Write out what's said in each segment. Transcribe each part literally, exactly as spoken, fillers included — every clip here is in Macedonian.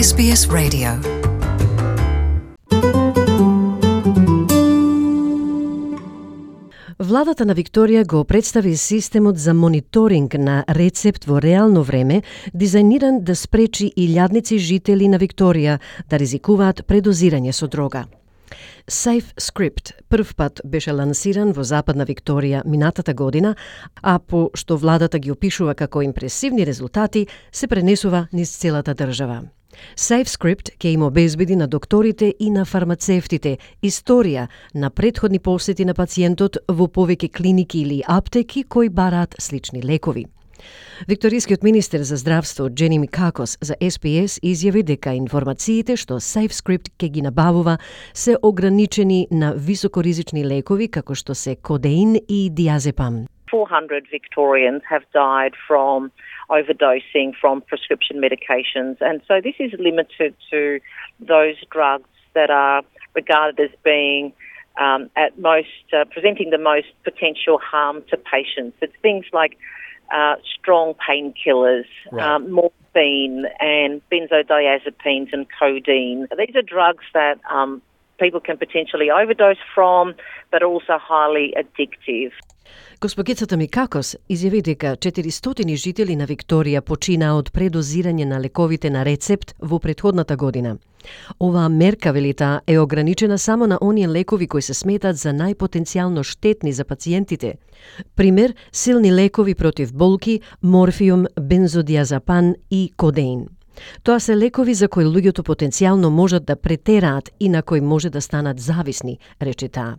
Ес Би Ес Radio. Владата на Викторија го представи системот за мониторинг на рецепт во реално време, дизајниран да спречи илјадници жители на Викторија да ризикуваат предозирање со дрога. SafeScript прв пат беше лансиран во Западна Викторија минатата година, а по што владата ги опишува како импресивни резултати, се пренесува низ целата држава. SafeScript ќе им обезбеди на докторите и на фармацевтите историја на претходни посети на пациентот во повеќе клиники или аптеки кои бараат слични лекови. Викторискиот министер за здравство Джени Микакос за Ес Би Ес изјави дека информациите што SafeScript ќе ги набавува се ограничени на високоризични лекови како што се кодеин и диазепам. four hundred Victorians have died from overdosing from prescription medications, and so this is limited to those drugs that are regarded as being um, at most uh, presenting the most potential harm to patients. It's things like uh, strong painkillers, right. um, morphine, and benzodiazepines and codeine. These are drugs that um, people can potentially overdose from, but are also highly addictive. Госпогицата Микакос изјави дека четиристотини жители на Викторија починаа од предозирање на лековите на рецепт во претходната година. Оваа мерка, вели таа, е ограничена само на оние лекови кои се сметат за најпотенцијално штетни за пациентите. Пример, силни лекови против болки, морфиум, бензодиазепам и кодеин. Тоа се лекови за кои луѓето потенцијално можат да претераат и на кои може да станат зависни, рече таа.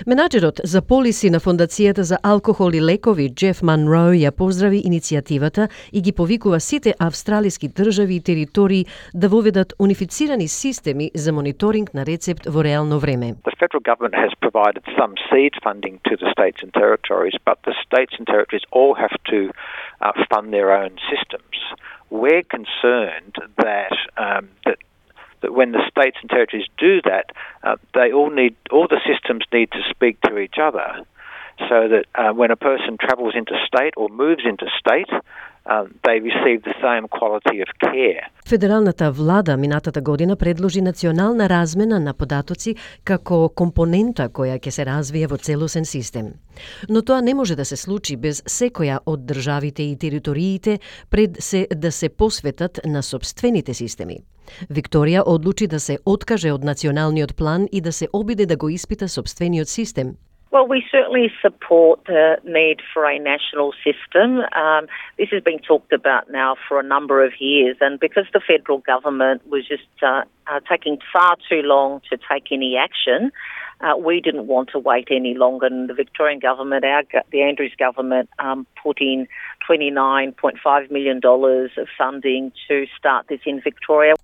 Менаџерот за полиси на Фондацијата за алкохол и лекови Джеф Манро ја поздрави иницијативата и ги повикува сите австралиски држави и територии да воведат унифицирани системи за мониторинг на рецепт во реално време. The federal government has provided some seed funding to the states and territories, but the states and territories all have to uh, fund their own systems. We're concerned that um, that that when the states and territories do that, uh, they all need, all the systems need to speak to each other, so that uh, when a person travels interstate or moves interstate, um, they receive the same quality of care. Федералната влада минатата година предложи национална размена на податоци како компонента која ќе се развие во целосен систем. Но тоа не може да се случи без секоја од државите и териториите пред се да се посветат на сопствените системи. Викторија одлучи да се откаже од националниот план и да се обиде да го испита сопствениот систем. Well, we certainly support the need for a national system. Um, this has been talked about now for a number of years, and because the federal government was just uh, uh, taking far too long to take any action, uh, we didn't want to wait any longer. And the Victorian government, our, the Andrews government, um, put in twenty-nine point five million dollars of funding to start this in Victoria.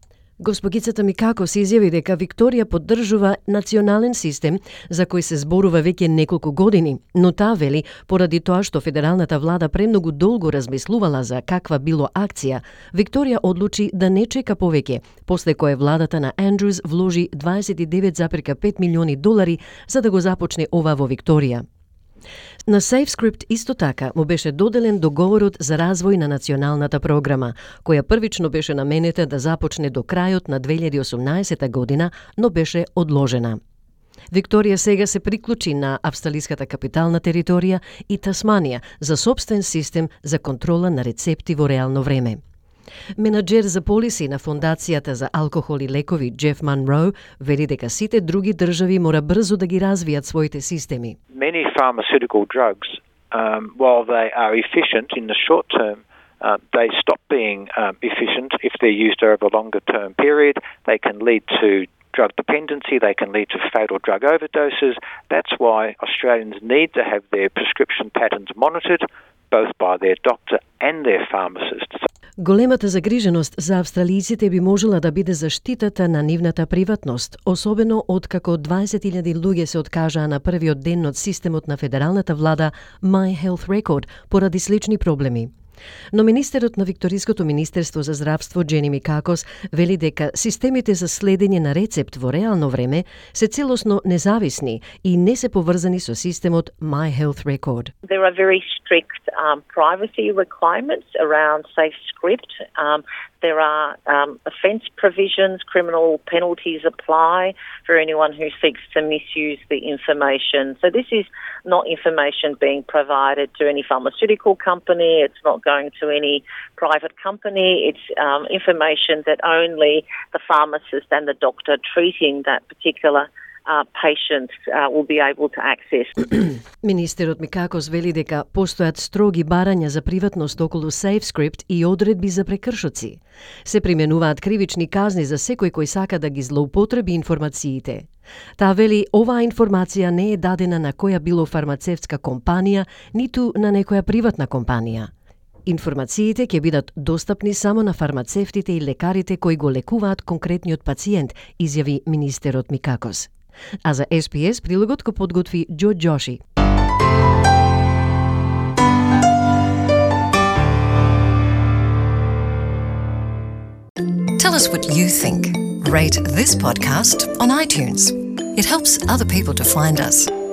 Госпогицата Микакос изјави дека Викторија поддржува национален систем за кој се зборува веќе неколку години, но таа вели, поради тоа што федералната влада премногу долго размислувала за каква било акција, Викторија одлучи да не чека повеќе, после кое владата на Андрюс вложи дваесет и девет зарем пет милиони долари за да го започне ова во Викторија. На SafeScript исто така му беше доделен договорот за развој на националната програма, која првично беше наменета да започне до крајот на две илјади и осумнаесета година, но беше одложена. Викторија сега се приклучи на австралиската капитална територија и Тасманија за собствен систем за контрола на рецепти во реално време. Менаџер за полиси на Фондацијата за алкохол и лекови Джеф Манро вели дека сите други држави мора брзо да ги развијат своите системи. Many pharmaceutical drugs, um, while they are efficient in the short term, uh, they stop being um, efficient if they're used over a longer term period. They can lead to drug dependency, they can lead to fatal drug overdoses. That's why Australians need to have their prescription patterns monitored, both by their doctor and their pharmacist. Големата загриженост за австралијците би можела да биде заштитата на нивната приватност, особено откако дваесет илјади луѓе се откажаа на првиот ден од системот на федералната влада My Health Record поради слични проблеми. Но министерот на Викториското министерство за здравство Джени Микакос вели дека системите за следење на рецепт во реално време се целосно независни и не се поврзани со системот My Health Record. There are very strict um, privacy requirements around SafeScript. Um, There are um, offence provisions, criminal penalties apply for anyone who seeks to misuse the information. So this is not information being provided to any pharmaceutical company. It's not going to any private company. It's um, information that only the pharmacist and the doctor treating that particular Uh, patients uh, will be able to access. Министерот Микакос вели дека постојат строги барања за приватност околу SafeScript и одредби за прекршоци. Се применуваат кривични казни за секој кој сака да ги злоупотреби информациите. Таа вели оваа информација не е дадена на која било фармацевтска компанија, ниту на некоја приватна компанија. Информациите ќе бидат достапни само на фармацевтите и лекарите кои го лекуваат конкретниот пациент, изјави министерот Микакос. А за Ес Пи Ес прилогот го подготви Џо Џоши. Tell us what you think. Rate this podcast on iTunes. It helps other people to find us.